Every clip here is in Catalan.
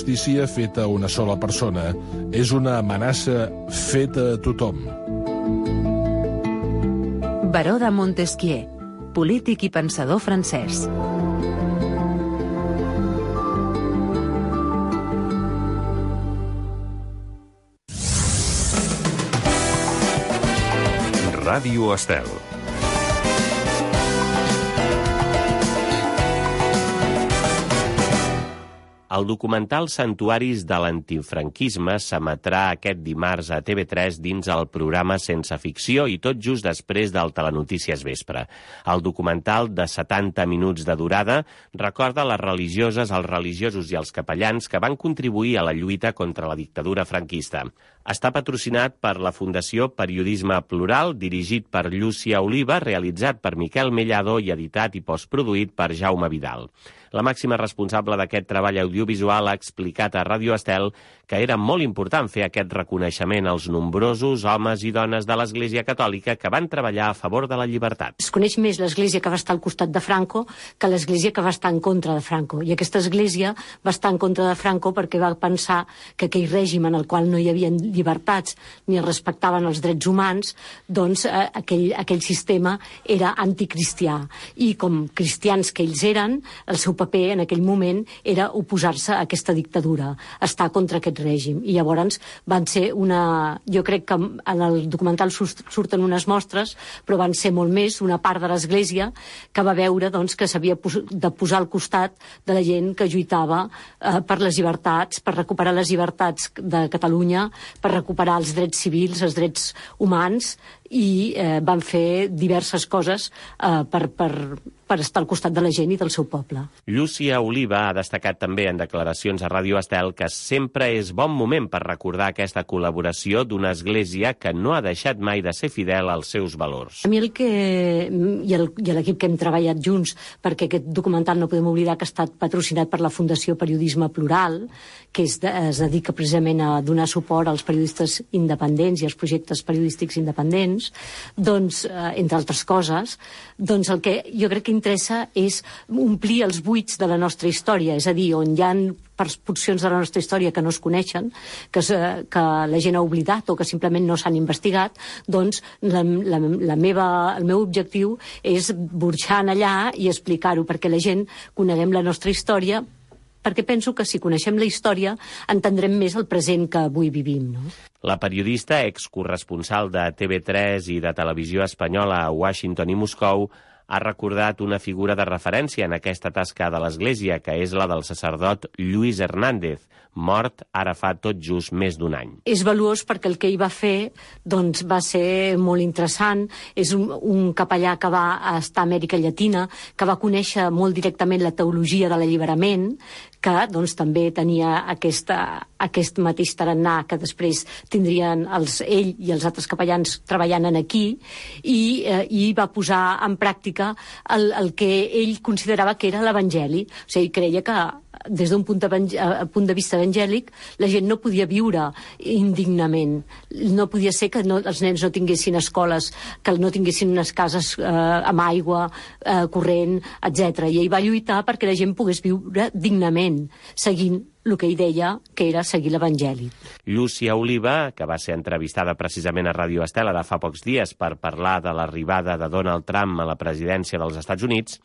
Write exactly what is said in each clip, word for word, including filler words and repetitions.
justícia feta a una sola persona. És una amenaça feta a tothom. Baró de Montesquieu, polític i pensador francès. Ràdio Estel. El documental Santuaris de l'antifranquisme s'emetrà aquest dimarts a T V tres dins el programa Sense ficció i tot just després del Telenotícies Vespre. El documental, de setanta minuts de durada, recorda les religioses, els religiosos i els capellans que van contribuir a la lluita contra la dictadura franquista. Està patrocinat per la Fundació Periodisme Plural, dirigit per Llúcia Oliva, realitzat per Miquel Mellado i editat i postproduït per Jaume Vidal. La màxima responsable d'aquest treball audiovisual ha explicat a Ràdio Estel que era molt important fer aquest reconeixement als nombrosos homes i dones de l'Església Catòlica que van treballar a favor de la llibertat. Es coneix més l'Església que va estar al costat de Franco que l'Església que va estar en contra de Franco. I aquesta Església va estar en contra de Franco perquè va pensar que aquell règim en el qual no hi havia llibertats ni es respectaven els drets humans, doncs eh, aquell, aquell sistema era anticristià. I com cristians que ells eren, el seu paper en aquell moment era oposar-se a aquesta dictadura, estar contra aquest règim. I llavors van ser una... Jo crec que en el documental surten unes mostres, però van ser molt més una part de l'Església que va veure doncs, que s'havia de posar al costat de la gent que lluitava eh, per les llibertats, per recuperar les llibertats de Catalunya, per recuperar els drets civils, els drets humans, i eh, van fer diverses coses eh, per, per, per estar al costat de la gent i del seu poble. Llúcia Oliva ha destacat també en declaracions a Ràdio Estel que sempre és bon moment per recordar aquesta col·laboració d'una església que no ha deixat mai de ser fidel als seus valors. A mi el que... i l'equip que hem treballat junts, perquè aquest documental no podem oblidar que ha estat patrocinat per la Fundació Periodisme Plural, que es, de, es dedica precisament a donar suport als periodistes independents i als projectes periodístics independents, doncs, eh, entre altres coses, doncs el que jo crec que interessa és omplir els buits de la nostra història, és a dir, on hi ha porcions de la nostra història que no es coneixen, que, que la gent ha oblidat o que simplement no s'han investigat, doncs la, la, la meva, el meu objectiu és burxar allà i explicar-ho perquè la gent coneguem la nostra història, perquè penso que si coneixem la història entendrem més el present que avui vivim, no? La periodista, excorresponsal de T V tres i de Televisió Espanyola a Washington i Moscou, ha recordat una figura de referència en aquesta tasca de l'Església, que és la del sacerdot Lluís Hernández, mort ara fa tot just més d'un any. És valuós perquè el que ell va fer doncs, va ser molt interessant. És un, un capellà que va estar a Amèrica Llatina, que va conèixer molt directament la teologia de l'alliberament, que doncs, també tenia aquesta, aquest mateix tarannà que després tindrien els, ell i els altres capellans treballant en aquí, i, eh, i va posar en pràctica el, el que ell considerava que era l'Evangeli. O sigui, creia que des d'un punt, punt de vista evangèlic la gent no podia viure indignament. No podia ser que no, els nens no tinguessin escoles, que no tinguessin unes cases eh, amb aigua, eh, corrent, etcètera. I ell va lluitar perquè la gent pogués viure dignament, seguint el que ell deia que era seguir l'Evangeli. Llúcia Oliva, que va ser entrevistada precisament a Ràdio Estel de fa pocs dies per parlar de l'arribada de Donald Trump a la presidència dels Estats Units,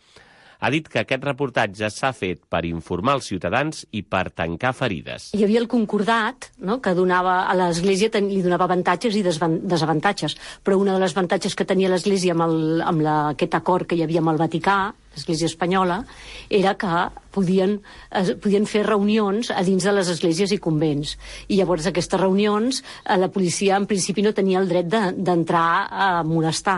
ha dit que aquest reportatge s'ha fet per informar els ciutadans i per tancar ferides. Hi havia el concordat, no?, que donava a l'Església, li donava avantatges i desavantatges, però una de les avantatges que tenia l'Església amb, el, amb la, aquest acord que hi havia amb el Vaticà, l'Església Espanyola, era que podien, eh, podien fer reunions a dins de les esglésies i convents. I llavors aquestes reunions eh, la policia en principi no tenia el dret d'entrar de, a molestar.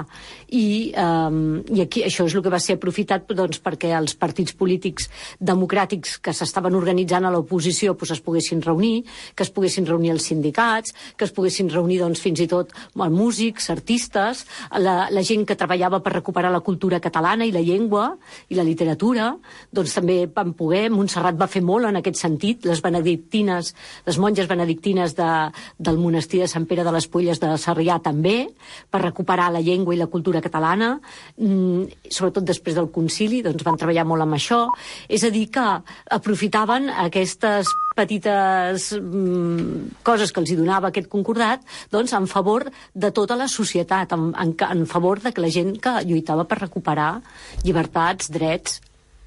I, eh, i aquí això és el que va ser aprofitat doncs, perquè els partits polítics democràtics que s'estaven organitzant a l'oposició doncs, es poguessin reunir, que es poguessin reunir els sindicats, que es poguessin reunir doncs, fins i tot músics, artistes, la, la gent que treballava per recuperar la cultura catalana i la llengua i la literatura, doncs també van poder. Montserrat va fer molt en aquest sentit. Les benedictines, les monges benedictines de, del monestir de Sant Pere de les Pulles de Sarrià també, per recuperar la llengua i la cultura catalana, mm, sobretot després del concili, doncs van treballar molt amb això. És a dir, que aprofitaven aquestes petites mm, coses que els hi donava aquest concordat, doncs en favor de tota la societat, en, en, en favor de que la gent que lluitava per recuperar llibertats, drets,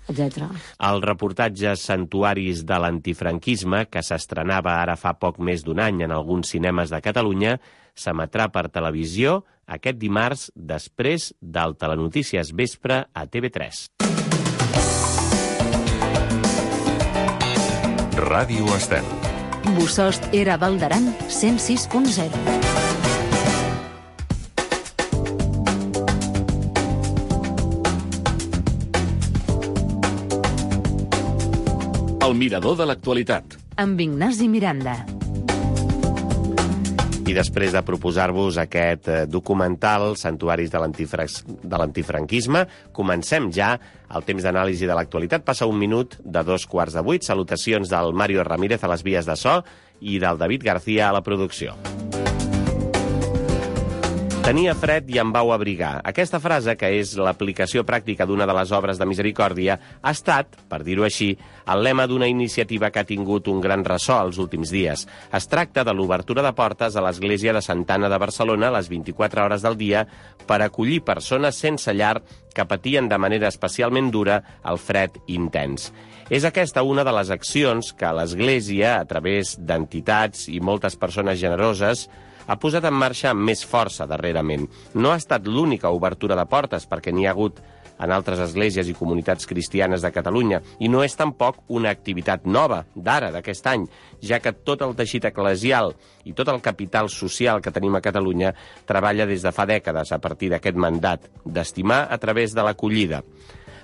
etcètera. El reportatge Santuaris de l'antifranquisme, que s'estrenava ara fa poc més d'un any en alguns cinemes de Catalunya, s'emetrà per televisió aquest dimarts després del Telenotícies Vespre a T V tres. Ràdio Estel. Bosost era Valdaran cent sis punt zero. El mirador de l'actualitat. Amb Ignasi Miranda. I després de proposar-vos aquest documental, Santuaris de l'antifranquisme, comencem ja el temps d'anàlisi de l'actualitat. Passa un minut de dos quarts de vuit. Salutacions del Mario Ramírez a les vies de so i del David García a la producció. Tenia fred i em vau abrigar. Aquesta frase, que és l'aplicació pràctica d'una de les obres de Misericòrdia, ha estat, per dir-ho així, el lema d'una iniciativa que ha tingut un gran ressò els últims dies. Es tracta de l'obertura de portes a l'església de Santa Anna de Barcelona a les vint-i-quatre hores del dia per acollir persones sense llar que patien de manera especialment dura el fred intens. És aquesta una de les accions que l'Església, a través d'entitats i moltes persones generoses, ha posat en marxa amb més força darrerament. No ha estat l'única obertura de portes, perquè n'hi ha hagut en altres esglésies i comunitats cristianes de Catalunya, i no és tampoc una activitat nova, d'ara, d'aquest any, ja que tot el teixit eclesial i tot el capital social que tenim a Catalunya treballa des de fa dècades a partir d'aquest mandat d'estimar a través de l'acollida.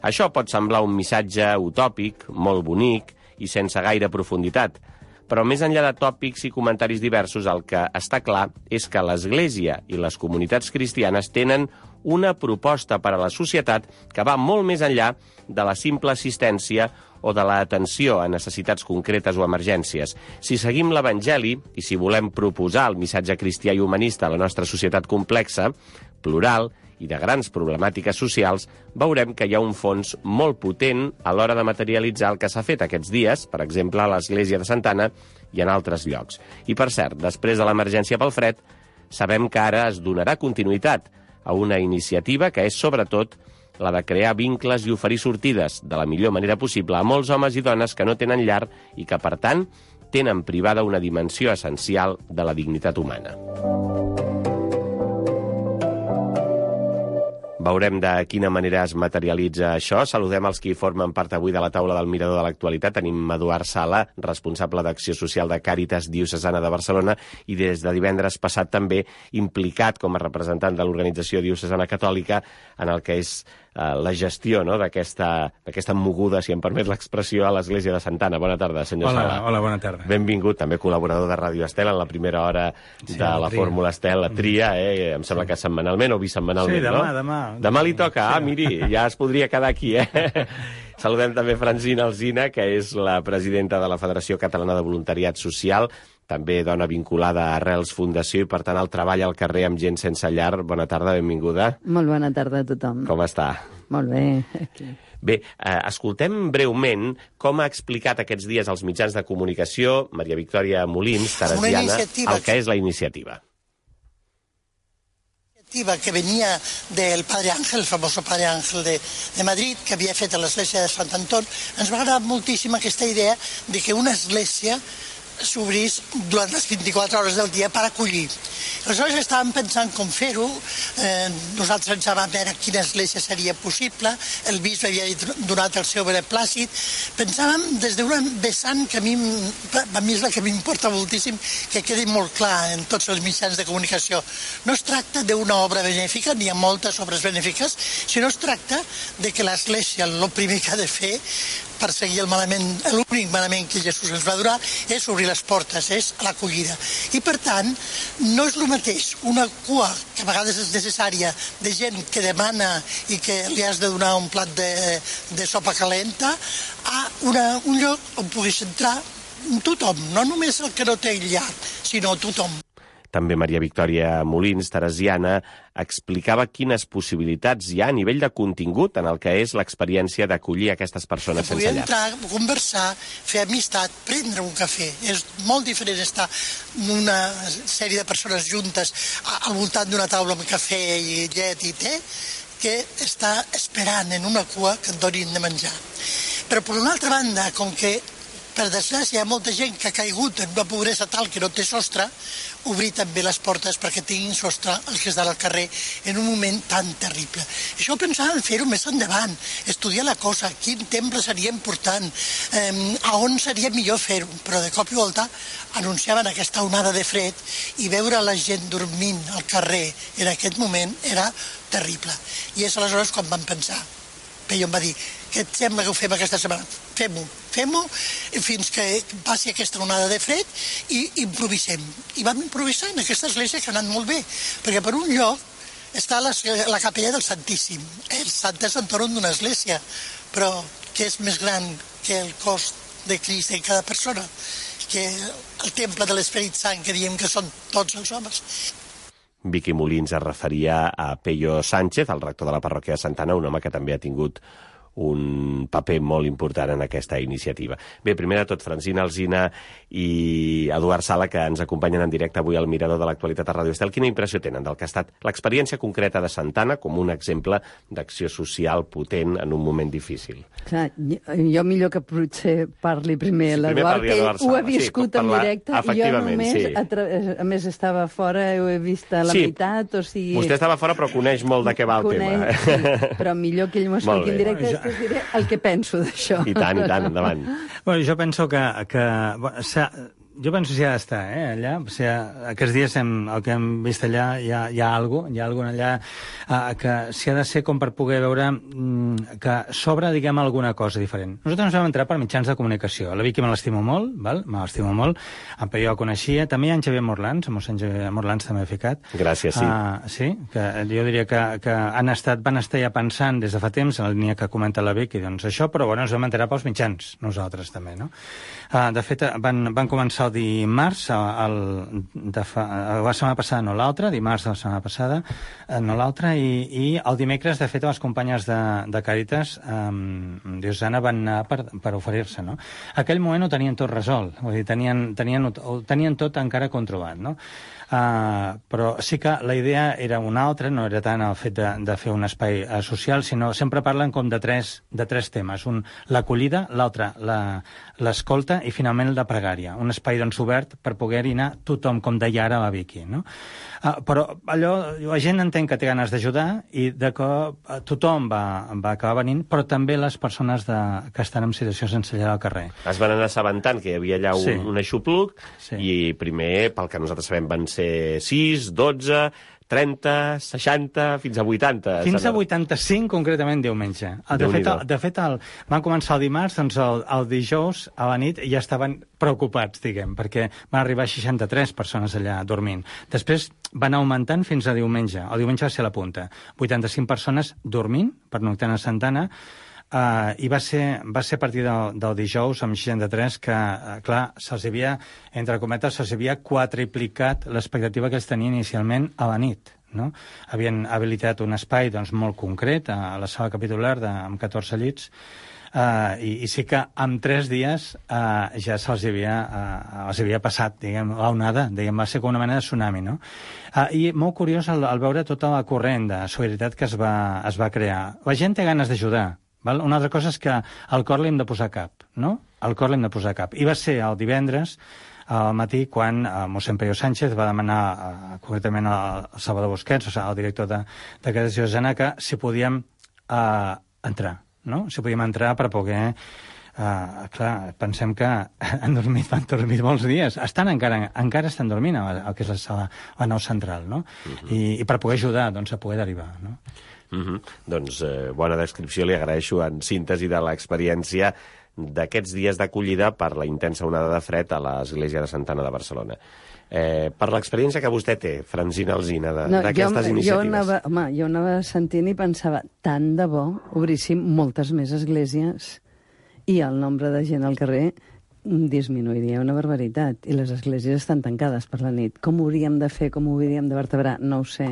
Això pot semblar un missatge utòpic, molt bonic i sense gaire profunditat, però més enllà de tòpics i comentaris diversos, el que està clar és que l'Església i les comunitats cristianes tenen una proposta per a la societat que va molt més enllà de la simple assistència o de l'atenció a necessitats concretes o emergències. Si seguim l'Evangeli i si volem proposar el missatge cristià i humanista a la nostra societat complexa, plural i de grans problemàtiques socials, veurem que hi ha un fons molt potent a l'hora de materialitzar el que s'ha fet aquests dies, per exemple, a l'església de Santa Anna i en altres llocs. I, per cert, després de l'emergència pel fred, sabem que ara es donarà continuïtat a una iniciativa que és, sobretot, la de crear vincles i oferir sortides de la millor manera possible a molts homes i dones que no tenen llar i que, per tant, tenen privada una dimensió essencial de la dignitat humana. Veurem de quina manera es materialitza això. Saludem els qui formen part avui de la taula del Mirador de l'Actualitat. Tenim Eduard Sala, responsable d'Acció Social de Càritas Diocesana de Barcelona i des de divendres passat també implicat com a representant de l'Organització Diocesana Catòlica en el que és eh, la gestió, no?, d'aquesta d'aquesta moguda, si em permet l'expressió, a l'Església de Santa Anna. Bona tarda, senyor hola, Sala. Hola, bona tarda. Benvingut, també col·laborador de Ràdio Estel en la primera hora sí, de la, la Fórmula Estel, la tria, eh? Em sembla que setmanalment o bisetmanalment, sí, demà, no? demà. Demà li toca. Ah, miri, ja es podria quedar aquí, eh? Saludem també Francina Alsina, que és la presidenta de la Federació Catalana de Voluntariat Social, també dona vinculada a Arrels Fundació i, per tant, el treball al carrer amb gent sense llar. Bona tarda, benvinguda. Molt bona tarda a tothom. Com està? Molt bé. Aquí. Bé, eh, escoltem breument com ha explicat aquests dies als mitjans de comunicació Maria Victòria Molins, teresiana, el que és la iniciativa. Que venía del Padre Ángel, el famoso Padre Ángel de, de Madrid, que havia fet a l'església de Sant Anton. Ens va agradar moltíssim aquesta idea de que una església s'obrís durant les vint-i-quatre hores del dia per acollir. Aleshores estàvem pensant com fer-ho, eh, nosaltres ens vam veure quina església seria possible, el bisbe havia donat el seu beneplàcit, pensàvem des d'un vessant que a mi, a mi és la que m'importa moltíssim que quedi molt clar en tots els mitjans de comunicació. No es tracta d'una obra benèfica, n'hi ha moltes obres benèfiques, sinó es tracta de que l'església el primer que ha de fer per seguir el manament, l'únic manament que Jesús ens va donar és obrir les portes, és l'acollida. I per tant, no és el mateix una cua que a vegades és necessària de gent que demana i que li has de donar un plat de, de sopa calenta a una, un lloc on puguis entrar tothom, no només el que no té llar, sinó tothom. També Maria Victòria Molins, teresiana, explicava quines possibilitats hi ha a nivell de contingut en el que és l'experiència d'acollir aquestes persones sense llar. Entrar, conversar, fer amistat, prendre un cafè. És molt diferent estar una sèrie de persones juntes al voltant d'una taula amb cafè i llet i te, que està esperant en una cua que et donin de menjar. Però per una altra banda, com que per desgràcia hi ha molta gent que ha caigut en una pobresa tal que no té sostre, obrir també les portes perquè tinguin sostre els que estan al carrer en un moment tan terrible. Això ho pensàvem fer-ho més endavant, estudiar la cosa, quin temple seria important, eh, a on seria millor fer-ho, però de cop i volta anunciaven aquesta onada de fred i veure la gent dormint al carrer en aquest moment era terrible. I és aleshores quan vam pensar. Peyo em va dir, què et sembla que ho fem aquesta setmana? Fem-ho, fem-ho fins que passi aquesta onada de fred i improvisem. I vam improvisar en aquesta església que ha anat molt bé, perquè per un lloc està la, la capella del Santíssim. El sant és entorn d'una església, però que és més gran que el cos de Crist en cada persona, que el temple de l'Esperit Sant, que diem que són tots els homes. Vicky Molins es referia a Peyo Sánchez, el rector de la parròquia de Santa Anna, un home que també ha tingut un paper molt important en aquesta iniciativa. Bé, primer de tot, Francina Alsina i Eduard Sala, que ens acompanyen en directe avui al Mirador de l'Actualitat a Ràdio Estel. Quina impressió tenen del que ha estat l'experiència concreta de Santa Anna com un exemple d'acció social potent en un moment difícil? Clar, jo millor que potser parli primer sí, l'Eduard, que ell ho ha viscut sí, en directe. Jo només, sí. a, tra... a més, estava fora, ho he vist a la sí. meitat, o sigui... Vostè estava fora, però coneix molt de què va el coneix, tema. Sí, però millor que ell m'ho expliqui en directe, després diré el que penso d'això. I tant, i tant, endavant. Bueno, jo penso que... que bueno, jo penso que s'hi ha d'estar, eh, allà. O sigui, aquests dies hem, el que hem vist allà hi ha, hi ha alguna cosa, hi ha alguna allà eh, que s'hi ha de ser com per poder veure mm, que s'obre, diguem, alguna cosa diferent. Nosaltres ens vam entrar per mitjans de comunicació. La Vicky me l'estimo molt, val? Me l'estimo molt. En Peyo el coneixia. També hi ha en Xavier Morlans, en mossèn Xavier Morlans també ha ficat. Gràcies, sí. Uh, sí, que jo diria que, que han estat, van estar ja pensant des de fa temps en la línia que comenta la Vicky, doncs això, però bueno, ens vam enterar pels mitjans, nosaltres també, no? Uh, de fet, van, van començar el dimarts, el, de fa, la setmana passada, no l'altra, dimarts de la setmana passada, no l'altra, i, i el dimecres, de fet, les companyes de, de Càritas um, diocesana van anar per, per oferir-se, no? Aquell moment ho tenien tot resolt, vull dir, tenien, tenien, ho tenien tot encara controlat, no? Uh, però sí que la idea era una altra, no era tant el fet de, de fer un espai uh, social, sinó sempre parlen com de tres, de tres temes. Un, l'acollida, l'altre, l'escolta i finalment la pregària. Un espai doncs obert per poder-hi anar tothom, com deia ara la Vicky, no? Uh, però allò, la gent entén que té ganes d'ajudar i de que uh, tothom va, va acabar venint, però també les persones de, que estan en situació sense llar al carrer. Es van anar assabentant que hi havia allà un, sí. un aixopluc sí. i primer, pel que nosaltres sabem, van ser sis, dotze, trenta, seixanta, fins a vuitanta. Fins a vuitanta-cinc, concretament, diumenge. De fet, el, de fet el, van començar el dimarts, doncs el, el dijous a la nit ja estaven preocupats, diguem, perquè van arribar a seixanta-tres persones allà dormint. Després van augmentant fins a diumenge. El diumenge va ser la punta. vuitanta-cinc persones dormint, pernoctant a Santa Anna, Uh, i va ser, va ser a partir del, del dijous amb seixanta-tres que, uh, clar, se'ls havia, entre cometes, se'ls havia quadriplicat l'expectativa que ells tenien inicialment a la nit, no? Havien habilitat un espai doncs, molt concret a la sala capitular de, amb catorze llits, Uh, i, i sí que en tres dies uh, ja se'ls havia, uh, els havia passat, diguem, l'onada, diguem, va ser com una mena de tsunami, no? Uh, I molt curiós el, el veure tota la corrent de solidaritat que es va, es va crear. La gent té ganes d'ajudar, val? Una altra cosa és que al cor l'hem de posar cap, no? Al cor l'hem de posar cap. I va ser el divendres al matí quan uh, mossèn Peyo Sánchez va demanar uh, concretament al Salvador Busquets, o sigui, el director de, de Càritas Diocesana, que si podíem uh, entrar, no? Si podíem entrar per poder... Uh, clar, pensem que han dormit, van dormir molts dies. Estan encara, encara estan dormint al que és la sala, la nau central, no? Uh-huh. I, I per poder ajudar, doncs, a poder derivar, no? Uh-huh. Doncs eh, bona descripció, li agraeixo en síntesi de l'experiència d'aquests dies d'acollida per la intensa onada de fred a l'església de Santa Anna de Barcelona. Eh, per l'experiència que vostè té, Francina Alsina, d'aquestes no, iniciatives. Jo anava, home, jo anava sentint i pensava, tant de bo obríssim moltes més esglésies i el nombre de gent al carrer disminuiria una barbaritat. I les esglésies estan tancades per la nit. Com ho hauríem de fer, com ho hauríem de vertebrar? No ho sé.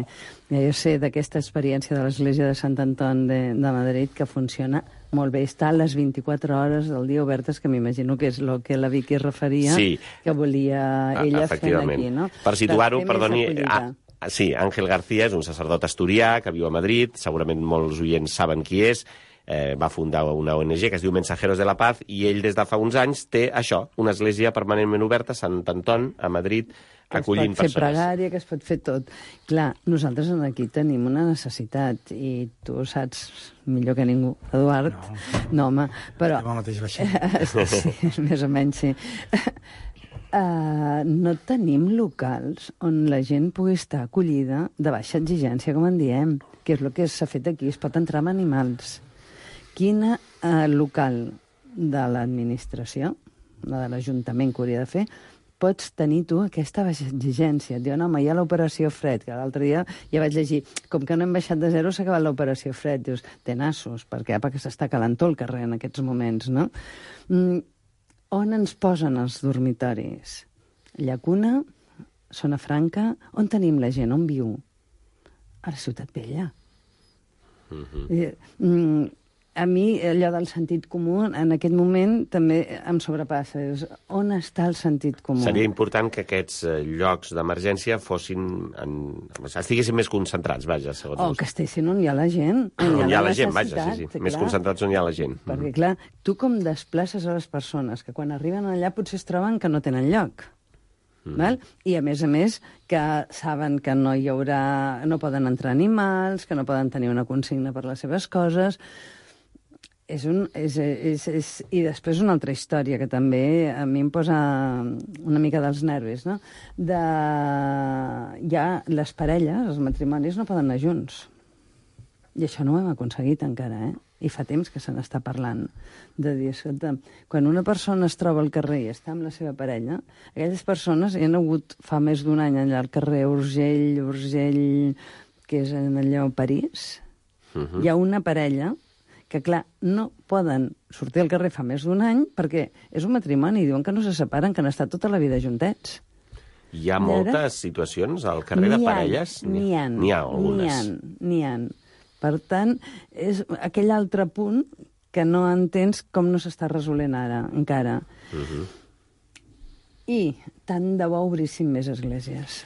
Ja jo sé d'aquesta experiència de l'església de Sant Anton de, de Madrid que funciona molt bé. Està a les vint-i-quatre hores del dia obertes, que m'imagino que és el que la Vicky es referia, sí. que volia ella fer aquí, no? Per situar-ho, perdoni... Ah, sí, Ángel García és un sacerdot asturià que viu a Madrid, segurament molts oients saben qui és, eh, va fundar una O N G que es diu Mensajeros de la Paz, i ell des de fa uns anys té això, una església permanentment oberta a Sant Anton, a Madrid, acollint persones. Que es pot fer pregària, que es pot fer tot. Clar, nosaltres aquí tenim una necessitat, i tu saps millor que ningú, Eduard. No, no home, però... Jo mateix baixem. Sí, més o menys, sí. Uh, no tenim locals on la gent pugui estar acollida de baixa exigència, com en diem, que és el que s'ha fet aquí, es pot entrar amb animals. Quin uh, local de l'administració, de l'Ajuntament que hauria de fer, pots tenir tu aquesta baixa exigència? Et diuen, home, hi ha l'operació fred, que l'altre dia ja vaig llegir, com que no hem baixat de zero, s'ha acabat l'operació fred. Dius, té nassos, perquè, perquè s'està calentó el carrer en aquests moments, no? Mm, on ens posen els dormitoris? Llacuna, Zona Franca, on tenim la gent, on viu? A la Ciutat Vella. Uh-huh. Mm, a mi, allò del sentit comú, en aquest moment també em sobrepassa. On està el sentit comú? Seria important que aquests llocs d'emergència fossin... En... estiguessin més concentrats, vaja, segons... O que estiguessin on hi ha la gent. On, on hi ha la gent, vaja, sí, sí. Clar. Més concentrats on hi ha la gent. Perquè, clar, tu com desplaces a les persones que quan arriben allà potser es troben que no tenen lloc. Mm. Val? I, a més a més, que saben que no hi haurà... no poden entrar animals, que no poden tenir una consigna per les seves coses... És un, és, és, és, I després una altra història que també a mi em posa una mica dels nervis, no? De, ja les parelles, els matrimonis, no poden anar junts. I això no ho hem aconseguit encara, eh? I fa temps que se n'està parlant. De dir, escolta, quan una persona es troba al carrer i està amb la seva parella, aquelles persones hi han hagut fa més d'un any allà al carrer Urgell, Urgell, que és en allò París. Uh-huh. Hi ha una parella que, clar, no poden sortir al carrer fa més d'un any perquè és un matrimoni, diuen que no se separen, que han estat tota la vida juntets. Hi ha moltes situacions al carrer de parelles? N'hi ha, n'hi ha algunes. N'hi ha, Per tant, és aquell altre punt que no entens com no s'està resolent ara, encara. Uh-huh. I tant de bo obrissin més esglésies.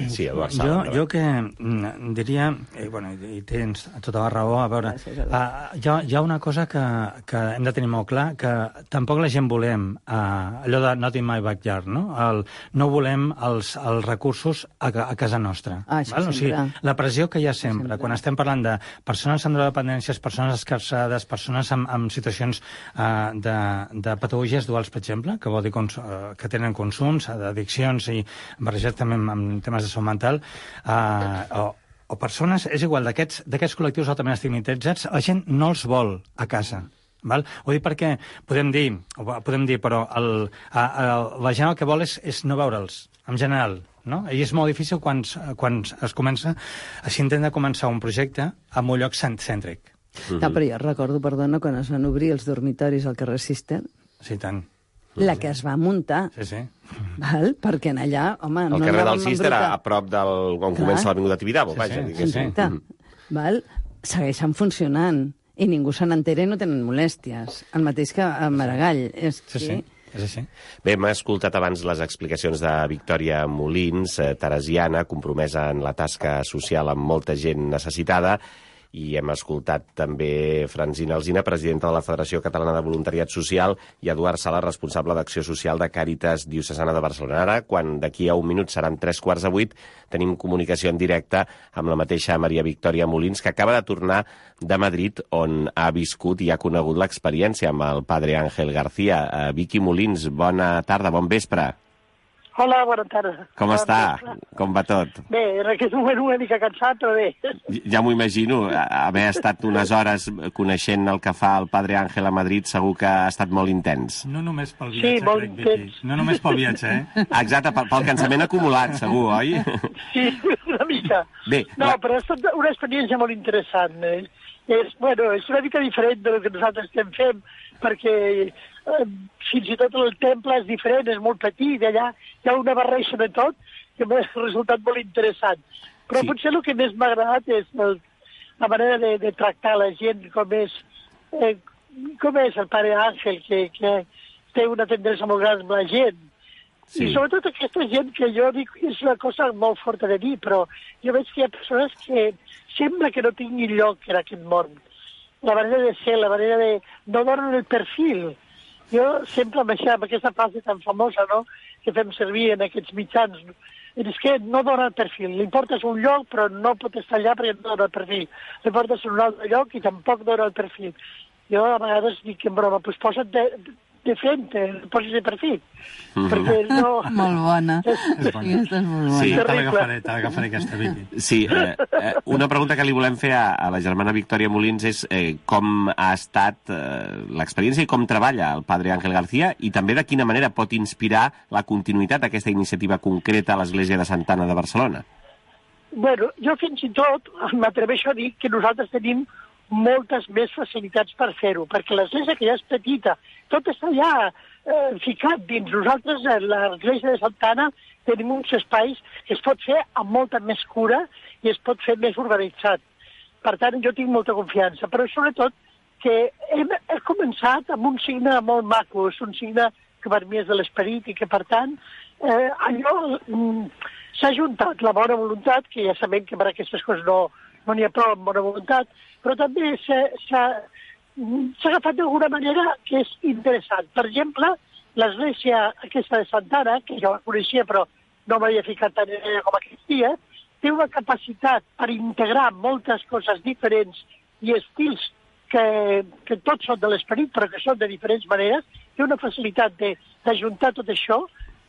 Sí, Eduard jo, jo que mm, diria, i, bueno, i tens tota la raó, a veure, Gràcies, uh, hi, ha, hi ha una cosa que, que hem de tenir molt clar, que tampoc la gent volem, uh, allò de not in my backyard, no? El, no volem els, els recursos a, a casa nostra. Ah, val? O sigui, la pressió que hi ha sempre, sempre, quan estem parlant de persones amb dependències, persones escarçades, persones amb, amb situacions uh, de, de patologies duals, per exemple, que vol dir cons, uh, que tenen consums, d'addiccions i barrejats també amb, amb temes de salut mental, uh, o, o persones, és igual, d'aquests col·lectius altament estigmatitzats, la gent no els vol a casa. Val? Ho dic perquè podem dir, podem dir però el, a, a, la gent el que vol és, és no veure'ls, en general. No? I és molt difícil quan, quan es comença, s'intenta començar un projecte en un lloc cèntric. Mm-hmm. No, però jo recordo, perdona, quan es van obrir els dormitoris al carrer Cister. Sí, tant. La que es va muntar. Sí, sí. Val? Perquè en allà, home... El no carrer del Cister, a prop del... on Clar. Comença l'Avinguda Tibidabo, sí, vaja. Sí, sí. Mm. Val? Segueixen funcionant. I ningú se n'entera i no tenen molèsties. El mateix que a Maragall. És sí, sí. És així. Bé, m'ha escoltat abans les explicacions de Victòria Molins, eh, teresiana, compromesa en la tasca social amb molta gent necessitada, i hem escoltat també Francina Alsina, presidenta de la Federació Catalana de Voluntariat Social, i Eduard Sala, responsable d'Acció Social de Càritas Diocesana de Barcelona. Ara, quan d'aquí a un minut seran tres quarts de vuit, tenim comunicació en directe amb la mateixa Maria Victòria Molins, que acaba de tornar de Madrid, on ha viscut i ha conegut l'experiència amb el padre Ángel García. Uh, Vicky Molins, bona tarda, bon vespre. Hola, bona tarda. Com bona està? tarda. Com va tot? Bé, en aquest moment una mica cansat, però bé. Ja m'ho imagino, haver estat unes hores coneixent el que fa el padre Ángel a Madrid, segur que ha estat molt intens. No només pel viatge, sí, molt crec, Vicky. No només pel viatge, eh? Exacte, pel, pel cansament acumulat, segur, oi? Sí, una mica. Bé, no, la... però ha estat una experiència molt interessant. Eh? És, bueno, és una mica diferent del que nosaltres estem fent, perquè eh, fins i tot el temple és diferent, és molt petit, allà hi ha una barreja de tot que m'ha resultat molt interessant. Però sí. Potser el que més m'ha agradat és el, la manera de, de tractar la gent, com és, eh, com és el pare Àngel, que, que té una tendresa molt gran amb la gent. Sí. I sobretot aquesta gent que jo dic és una cosa molt forta de dir, però jo veig que hi ha persones que sembla que no tinguin lloc en aquest món. La manera de ser, la manera de... no donen el perfil. Jo sempre amb, això, amb aquesta frase tan famosa, no?, que fem servir en aquests mitjans, és que no dona el perfil. L'importa és un lloc, però no pot estar allà perquè no dona el perfil. L'importa és un altre lloc i tampoc dona el perfil. Jo a vegades dic en broma, doncs posa't de, de frente, posis de perfil. Mm-hmm. Perquè no... Molt bona. És bona. Aquesta és molt bona. Sí, te l'agafaré, te l'agafaré aquesta, Vicky. Sí, eh, eh, una pregunta que li volem fer a, a la germana Victòria Molins és eh, com ha estat eh, l'experiència i com treballa el padre Ángel García i també de quina manera pot inspirar la continuïtat d'aquesta iniciativa concreta a l'Església de Santa Anna de Barcelona. Bueno, jo fins i tot m'atreveixo a dir que nosaltres tenim moltes més facilitats per fer-ho, perquè l'església que ja és petita, tot està ja eh, ficat dins. Nosaltres, a l'església de Santa Anna, tenim uns espais que es pot fer amb molta més cura i es pot fer més organitzat. Per tant, jo tinc molta confiança, però sobretot que hem, hem començat amb un signe molt maco, és un signe que per mi és de l'esperit i que, per tant, eh, allò mm, s'ha juntat la bona voluntat, que ja sabem que per aquestes coses no, no n'hi ha prou amb bona voluntat, però també s'ha agafat d'alguna manera que és interessant. Per exemple, l'església aquesta de Santa Anna, que jo la coneixia però no m'havia ficat tan en ella com aquest dia, té una capacitat per integrar moltes coses diferents i estils que, que tots són de l'esperit però que són de diferents maneres, té una facilitat d'ajuntar tot això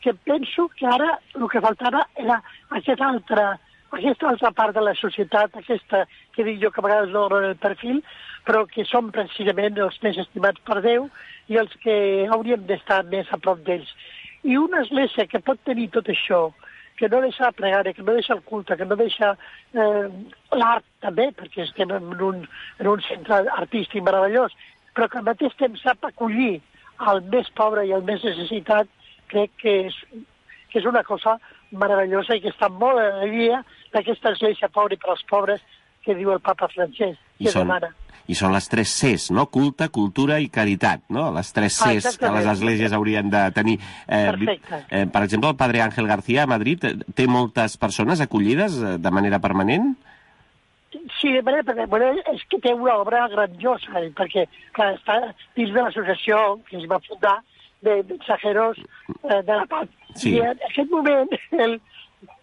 que penso que ara el que faltava era aquest altre aquesta altra part de la societat, aquesta que dic jo que a vegades no donen el perfil, però que són precisament els més estimats per Déu i els que hauríem d'estar més a prop d'ells. I una església que pot tenir tot això, que no deixa la pregària, que no deixa el culte, que no deixa eh, l'art també, perquè estem en un, en un centre artístic meravellós, però que al mateix temps sap acollir el més pobre i el més necessitat, crec que és, que és una cosa meravellosa i que està molt en la guia d'aquesta església pobra i per als pobres que diu el papa Francesc, que I són, demana. I són les tres Cs, no? Culte, cultura i caritat, no? Les tres Cs ah, que les esglésies haurien de tenir. Eh, Perfecte. Eh, per exemple, el padre Ángel García a Madrid té moltes persones acollides de manera permanent? Sí, de manera permanent. Bueno, és que té una obra grandiosa, perquè clar, està dins de l'associació que es va fundar de mensajeros eh, de la paz. Sí. I en aquest moment, el,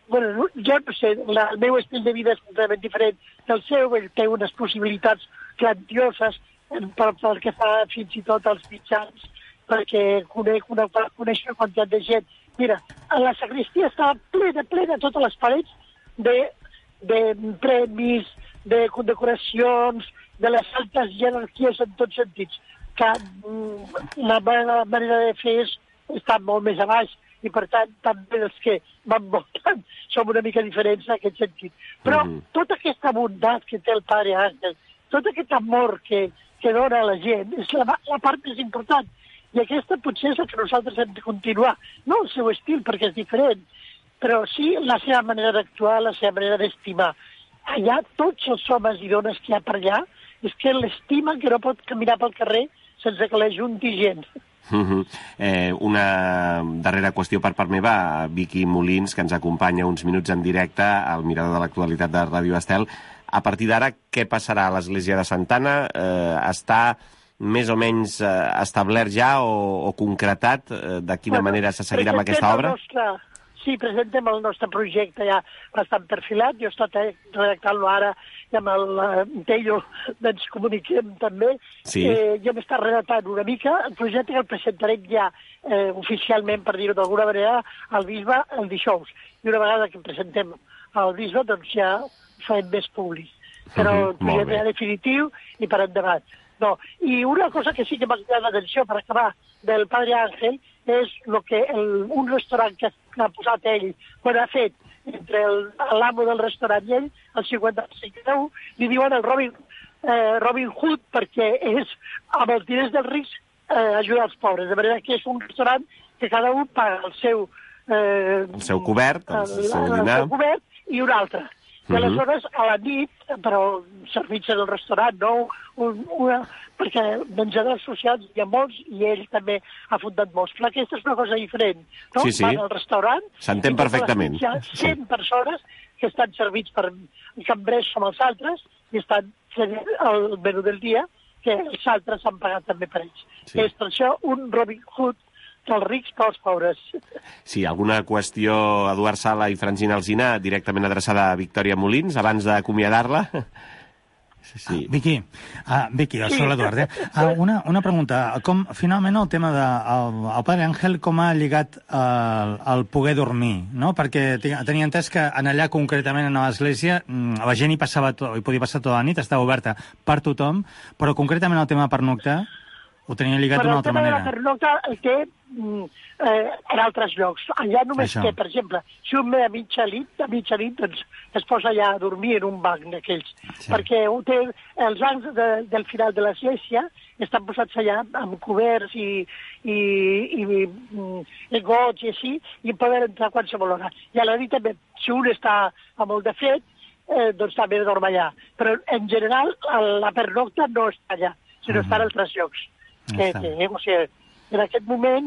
bueno, jo no sé, la, el meu estil de vida és completament diferent del seu, ell té unes possibilitats grandioses pel, pel que fa fins i tot als mitjans, perquè conec una, coneix una quantitat de gent. Mira, a la sagristia estava plena, plena, totes les parets de, de premis, de condecoracions, de les altes jerarquies en tots sentits, que mm, la meva manera de fer és estar molt més a baix i per tant també els que m'envolten som una mica diferents en aquest sentit. Però mm -hmm. tota aquesta bondat que té el pare Àngel, tot aquest amor que, que dona a la gent, és la, la part més important. I aquesta potser és la que nosaltres hem de continuar. No el seu estil, perquè és diferent, però sí la seva manera d'actuar, la seva manera d'estimar. Allà tots els homes i dones que hi ha per allà és que l'estimen que no pot caminar pel carrer sense que l'ajunti gent. Uh -huh. eh, una darrera qüestió per part meva, Vicky Molins, que ens acompanya uns minuts en directe al Mirador de l'Actualitat de Ràdio Estel. A partir d'ara, què passarà a l'Església de Santa Anna? Eh, està més o menys eh, establert ja o, o concretat eh, de quina bueno, manera se seguirà amb aquesta obra? Nostre, sí, presentem el nostre projecte ja bastant perfilat. Jo he estat redactant-lo ara i amb el uh, Tello ens comuniquem també. Sí. Eh, jo m'he estat redactant una mica. El projecte que el presentarem ja eh, oficialment, per dir-ho d'alguna manera, al bisbe el dijous. I una vegada que presentem al bisbe, doncs ja farem més públic. Però uh -huh, el projecte ja definitiu i per endavant. No. I una cosa que sí que m'ha cridat l'atenció per acabar del Padre Ángel és lo que el, un restaurant que ha posat ell, quan ha fet entre l'amo del restaurant i ell, el cinquanta-cinc li diuen el Robin, eh, Robin Hood perquè és amb els diners dels rics eh, ajudar els pobres, de manera que és un restaurant que cada un paga el seu... Eh, el seu cobert, el, el seu el, dinar. El seu cobert i un altre. I aleshores, a la nit, però servits en el restaurant, no? Un, una, perquè menjadors socials hi ha molts i ell també ha fundat molts. Però aquesta és una cosa diferent, no? Sí, sí. Van al restaurant... S'entén perfectament. Hi ha cent persones que estan servits per cambrers com els altres i estan fent el menú del dia, que els altres han pagat també per ells. Sí. És per això un Robin Hood dels rics pels pobres. Sí, alguna qüestió, Eduard Sala i Francina Alsina, directament adreçada a Victòria Molins, abans d'acomiadar-la? Sí, sí. Ah, Vicky, ah, Vicky, sí. Soc l'Eduard, eh? Ah, una, una pregunta. Com, finalment, el tema de el, el Padre Ángel, com ha lligat el, el poder dormir, no? Perquè tenia entès que en allà, concretament, en l'església, la gent hi passava, hi podia passar tota la nit, estava oberta per tothom, però concretament el tema de pernoctar ho tenia lligat d'una altra manera. Però el tema de la pernocta el té eh, en altres llocs. Allà només Això. té, per exemple, si un ve a mitja nit, a mitja nit, doncs es posa allà a dormir en un banc d'aquells. Sí. Perquè ho té, els bancs de, del final de l'església estan posats allà amb coberts i, i, i, i gots i així, i poden entrar a qualsevol hora. I a la nit també, si un està a molt de fred, eh, doncs també dorm allà. Però en general la pernocta no està allà, sinó uh-huh. està en altres llocs. Que, que, o sigui, en aquest moment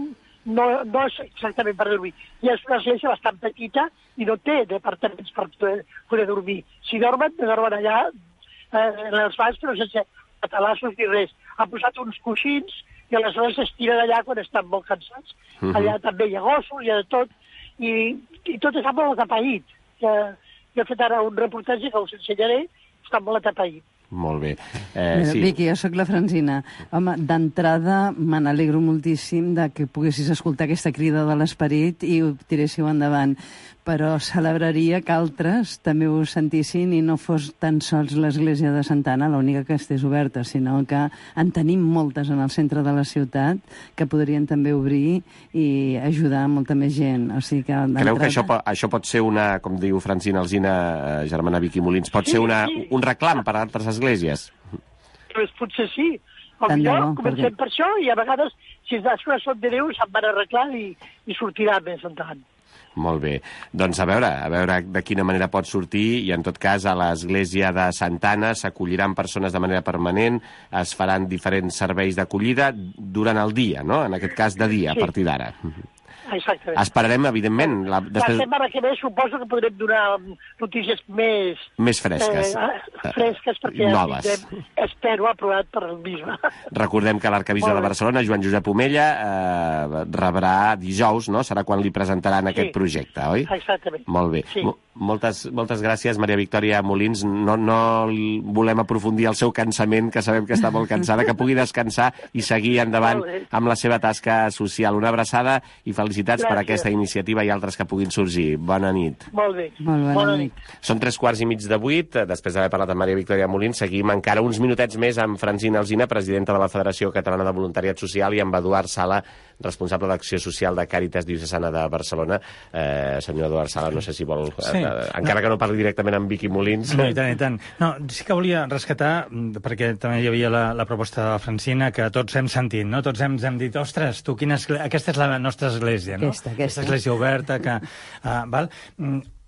no, no és exactament per dormir. I és una església bastant petita i no té departaments per poder, poder dormir. Si dormen, dormen allà eh, en els bancs, però sense catalassos ni res. Ha posat uns coixins i aleshores s'estiren allà quan estan molt cansats. Uh-huh. Allà també hi ha gossos, hi ha de tot, i, i tot està molt atapeït. Que, jo he fet ara un reportatge que us ensenyaré, està molt atapeït. Molt bé. Eh, sí. Vicky, jo sóc la Francina. Home, d'entrada me n'alegro moltíssim de que poguessis escoltar aquesta crida de l'esperit i ho tiréssiu endavant. Però celebraria que altres també ho sentissin i no fos tan sols l'església de Santa Anna l'única que estés oberta, sinó que en tenim moltes en el centre de la ciutat que podrien també obrir i ajudar molta més gent. O sigui que Creu que això, això pot ser una, com diu Francina Alsina, germana Vicky Molins, pot sí, ser una, sí. un reclam per a altres esglésies? Pues potser sí. Com jo, comencem perquè... per això i a vegades, si les coses són de Déu, se'n van arreglar i, i sortirà més endavant. Molt bé. Doncs a veure, a veure de quina manera pot sortir i en tot cas a l'església de Santa Anna s'acolliran persones de manera permanent, es faran diferents serveis d'acollida durant el dia, no? En aquest cas de dia, sí. a partir d'ara. Exactament. Esperarem, evidentment... La, després... la setmana que ve suposo que podrem donar notícies més... Més fresques. Eh, fresques, perquè noves. Ja espero aprovat per el bisbe. Recordem que l'arcabisbe de Barcelona, Joan Josep Omella, eh, rebrà dijous, no? Serà quan li presentaran sí. aquest projecte, oi? Exactament. Molt bé. Sí. Moltes, moltes gràcies, Maria Victòria Molins. No, no volem aprofundir el seu cansament, que sabem que està molt cansada, que pugui descansar i seguir endavant amb la seva tasca social. Una abraçada i felicitats gràcies. Per aquesta iniciativa i altres que puguin sorgir. Bona nit. Molt bé. Molt bona, bona nit. nit. Són tres quarts i mig de vuit. Després d'haver parlat amb Maria Victòria Molins, seguim encara uns minutets més amb Francina Alsina, presidenta de la Federació Catalana de Voluntariat Social, i amb Eduard Sala, responsable d'Acció Social de Càritas Diocesana de Barcelona. Eh, senyor Eduard Sala, no sé si vol... Sí. Eh, encara no. que no parli directament amb Vicky Molins. No, i tant, i tant. No, sí que volia rescatar, perquè també hi havia la, la proposta de la Francina, que tots hem sentit, no? Tots hem, hem dit, ostres, tu, quina església... aquesta és la nostra església, no? Aquesta, aquesta. Aquesta església oberta, que... Uh, val?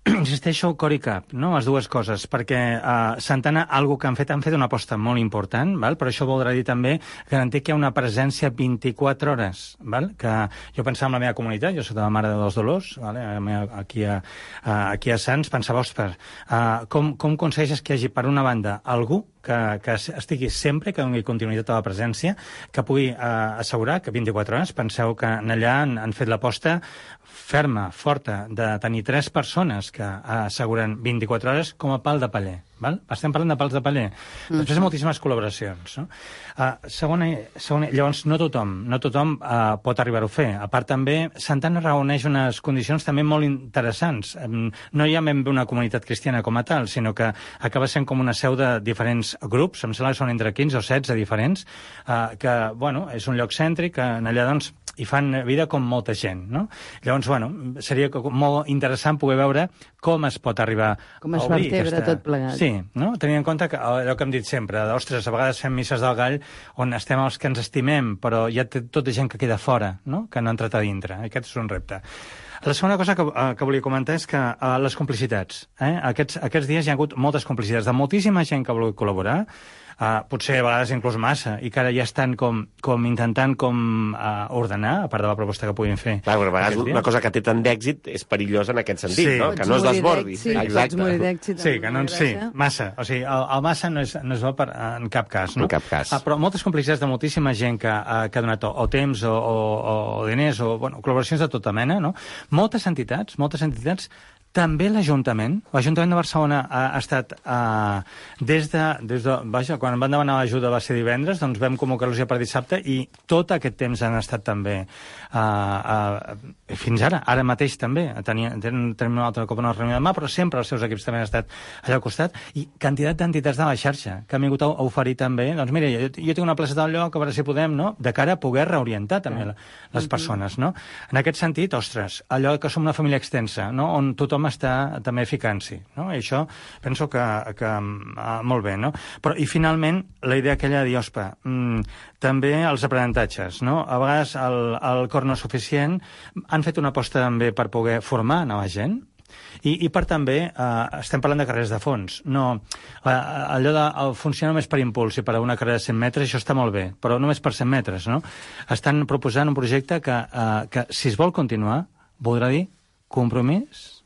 Insisteixo cor i cap, no? Les dues coses, perquè uh, Santa Anna, algo que han fet, han fet una aposta molt important, val? Però això voldrà dir també garantir que hi ha una presència vint-i-quatre hores, val? Que jo pensava en la meva comunitat, jo soc de la Mare de dels Dolors, vale? aquí, a, aquí a Sants, pensava, ostres, uh, com, com aconsegueixes que hi hagi, per una banda, algú que, que estigui sempre, que doni continuïtat a la presència, que pugui eh, assegurar que vint-i-quatre hores, penseu que allà han, han fet l'aposta ferma, forta, de tenir tres persones que asseguren vint-i-quatre hores com a pal de paller. Val? Estem parlant de pals de paller. Mm. Després hi ha moltíssimes col·laboracions. No? Uh, segona, segona, llavors, no tothom, no tothom uh, pot arribar-ho a fer. A part, també, Santa Anna reuneix unes condicions també molt interessants. Um, no hi ha ben bé una comunitat cristiana com a tal, sinó que acaba sent com una seu de diferents grups, em sembla que són entre quinze o setze diferents, uh, que, bueno, és un lloc cèntric, que allà, doncs, hi fan vida com molta gent, no? Llavors, bueno, seria molt interessant poder veure com es pot arribar com es a obrir vertebra aquesta... tot plegat. Sí, Sí, no? Tenint en compte que allò que hem dit sempre, ostres, a vegades fem misses del gall on estem els que ens estimem, però hi ha tota gent que queda fora, no? Que no ha entrat a dintre. Aquest és un repte. La segona cosa que, uh, que volia comentar és que uh, les complicitats. Eh? Aquests, aquests dies hi ha hagut moltes complicitats de moltíssima gent que ha volgut col·laborar, uh, potser a vegades inclús massa, i que ara ja estan com, com intentant com uh, ordenar, a part de la proposta que puguin fer. Clar, a vegades una cosa que té tant d'èxit és perillosa en aquest sentit, sí. no? Que no es desbordi. Sí, exacte. Sí, que no, sí, massa. O sigui, el, el massa no és, no és bo per, en cap cas, no? En cap cas. Uh, però moltes complicitats de moltíssima gent que, uh, que ha donat o, o temps o, o, o diners o bueno, col·laboracions de tota mena, no? Moltes entitats, moltes entitats, també l'Ajuntament. L'Ajuntament de Barcelona ha, ha estat, uh, des de, des de... Vaja, quan van demanar l'ajuda va ser divendres, doncs vam convocar-los ja per dissabte i tot aquest temps han estat també uh, uh, fins ara, ara mateix també. Tenim, tenim una altra cop una reunió demà, però sempre els seus equips també han estat allà al costat i quantitat d'entitats de la xarxa que han vingut a oferir també, doncs mira, jo, jo tinc una plaça del lloc, a veure si podem, no?, de cara a poder reorientar també la, les persones, no? En aquest sentit, ostres, allò que som una família extensa, no?, on tothom està també ficant-s'hi, no? I això penso que, que uh, molt bé, no? Però, i finalment, la idea aquella de dir, ospa, mm, també els aprenentatges, no? A vegades el, el cor no és suficient, han fet una aposta també per poder formar nova gent, i, i per també, eh, estem parlant de carreres de fons, no, eh, allò de funcionar només per impuls i per a una carrera de cent metres, això està molt bé, però només per cent metres, no? Estan proposant un projecte que, eh, que si es vol continuar, voldrà dir compromís,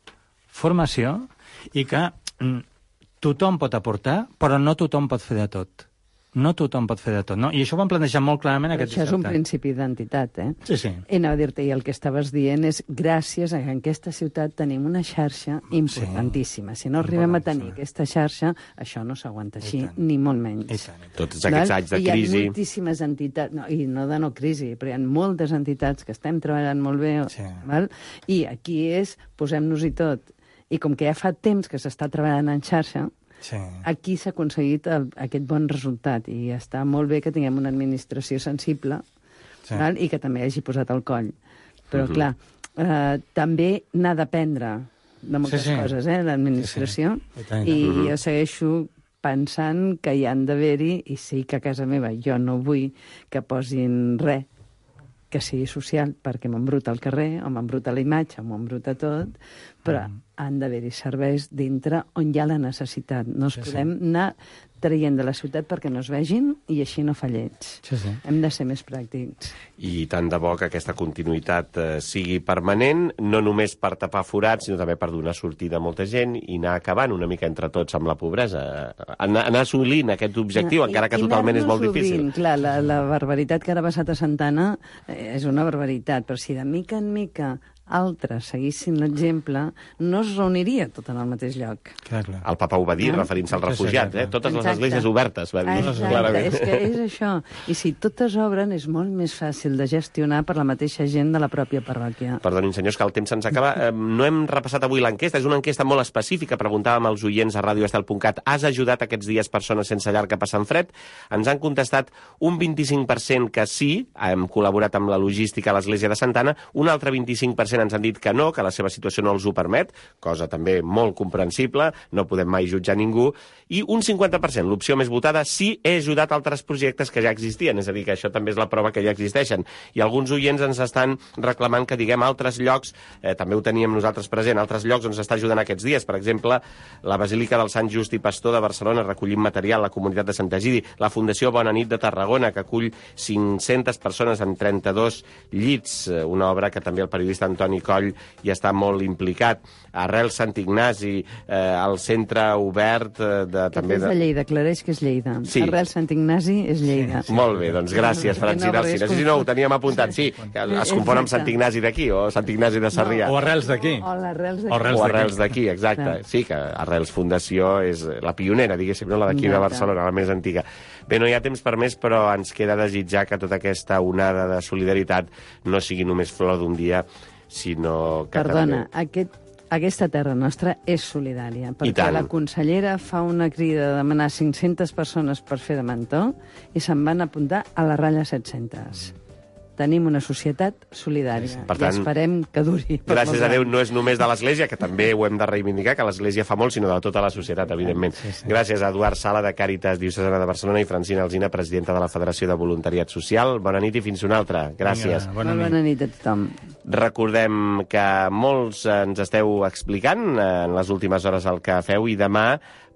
formació, i que mm, tothom pot aportar, però no tothom pot fer de tot. No tothom pot fer de tot, no? I això ho vam plantejar molt clarament aquest dissabte. Això és un principi d'entitat, eh? Sí, sí. I anava a dir-te, i el que estaves dient és gràcies a que en aquesta ciutat tenim una xarxa importantíssima. Si no arribem a tenir aquesta xarxa, això no s'aguanta així, ni molt menys. Tots aquests anys de crisi... Hi ha moltíssimes entitats, no, i no de no crisi, però hi ha moltes entitats que estem treballant molt bé, sí. Val? I aquí és, posem-nos-hi tot. I com que ja fa temps que s'està treballant en xarxa, sí. Aquí s'ha aconseguit el, aquest bon resultat i està molt bé que tinguem una administració sensible, sí. Val? I que també hagi posat el coll. Però, uh-huh. clar, eh, també n'ha d'aprendre de moltes sí, sí. coses, eh, l'administració, sí, sí. I, i uh-huh. jo segueixo pensant que hi han d'haver-hi, i sí que a casa meva jo no vull que posin res que sigui social, perquè m'embruta el carrer, o m'embruta la imatge, o m'embruta tot, però mm. han d'haver-hi serveis dintre on hi ha la necessitat. No es sí, podem sí. anar traient de la ciutat perquè no es vegin i així no fa lleig. Sí, sí. Hem de ser més pràctics. I tant de bo que aquesta continuïtat eh, sigui permanent, no només per tapar forats, sinó també per donar sortida a molta gent i anar acabant una mica entre tots amb la pobresa. Anar, anar assolint aquest objectiu, I, encara que totalment és molt difícil. Obint. Clar, la, la barbaritat que ara ha passat a Santana eh, és una barbaritat, però si de mica en mica altres seguissin l'exemple, no es reuniria tot en el mateix lloc. Clar, clar. El papa ho va dir, no? Referint-se als refugiats, eh? Totes Exacte. Les esglésies obertes, va dir. Exacte, és que és això. I si totes obren, és molt més fàcil de gestionar per la mateixa gent de la pròpia parròquia. Perdonin, senyors, que el temps se'ns acaba. Eh, no hem repassat avui l'enquesta, és una enquesta molt específica. Preguntàvem als oients a radio estel punt cat, has ajudat aquests dies persones sense llar que passen fred? Ens han contestat un vint-i-cinc per cent que sí, hem col·laborat amb la logística a l'església de Santana, un altre vint-i-cinc per cent ens han dit que no, que la seva situació no els ho permet, cosa també molt comprensible, no podem mai jutjar ningú, i un cinquanta per cent, l'opció més votada, sí he ajudat altres projectes que ja existien, és a dir, que això també és la prova que ja existeixen. I alguns oients ens estan reclamant que diguem altres llocs, eh, també ho teníem nosaltres present, altres llocs on s'està ajudant aquests dies, per exemple, la Basílica del Sant Just i Pastor de Barcelona, recollint material, la comunitat de Sant Egidi, la Fundació Bona Nit de Tarragona, que acull cinc-centes persones en trenta-dos llits, una obra que també el periodista Antoni Coll hi està molt implicat. Arrel Sant Ignasi, eh, el centre obert eh, de... també és de Lleida, aclareix que és Lleida. Sí. Arrel Sant Ignasi és Lleida. Sí, sí. Molt bé, doncs gràcies, Francina Alcina. Sí, sí, no, ho teníem apuntat, sí. Es compon amb Sant Ignasi d'aquí, o Sant Ignasi de Sarrià. No, o Arrels d'aquí. O l'Arrels d'aquí. O Arrels d'aquí, exacte. Sí, que Arrels Fundació és la pionera, diguéssim, no? La d'aquí de Barcelona, la més antiga. Bé, no hi ha temps per més, però ens queda desitjar que tota aquesta onada de solidaritat no sigui només flor d'un dia, sinó que... Perdona, també... aquest, aquesta terra nostra és solidària, perquè la consellera fa una crida de demanar cinc-centes persones per fer de mentor i se'n van apuntar a la ratlla set-centes. tenim una societat solidària. Per tant, i esperem que duri. Gràcies a Déu no és només de l'Església, que també ho hem de reivindicar, que l'Església fa molt, sinó de tota la societat, evidentment. Sí, sí. Gràcies a Eduard Sala, de Càritas Diocesana de Barcelona, i Francina Alsina, presidenta de la Federació de Voluntariat Social. Bona nit i fins una altra. Gràcies. Vinga, bona, nit. bona nit a tothom. Recordem que molts ens esteu explicant en les últimes hores el que feu, i demà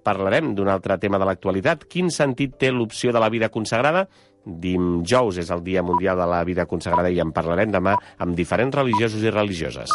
parlarem d'un altre tema de l'actualitat. Quin sentit té l'opció de la vida consagrada? Dijous és el Dia Mundial de la Vida Consagrada i en parlarem demà amb diferents religiosos i religioses.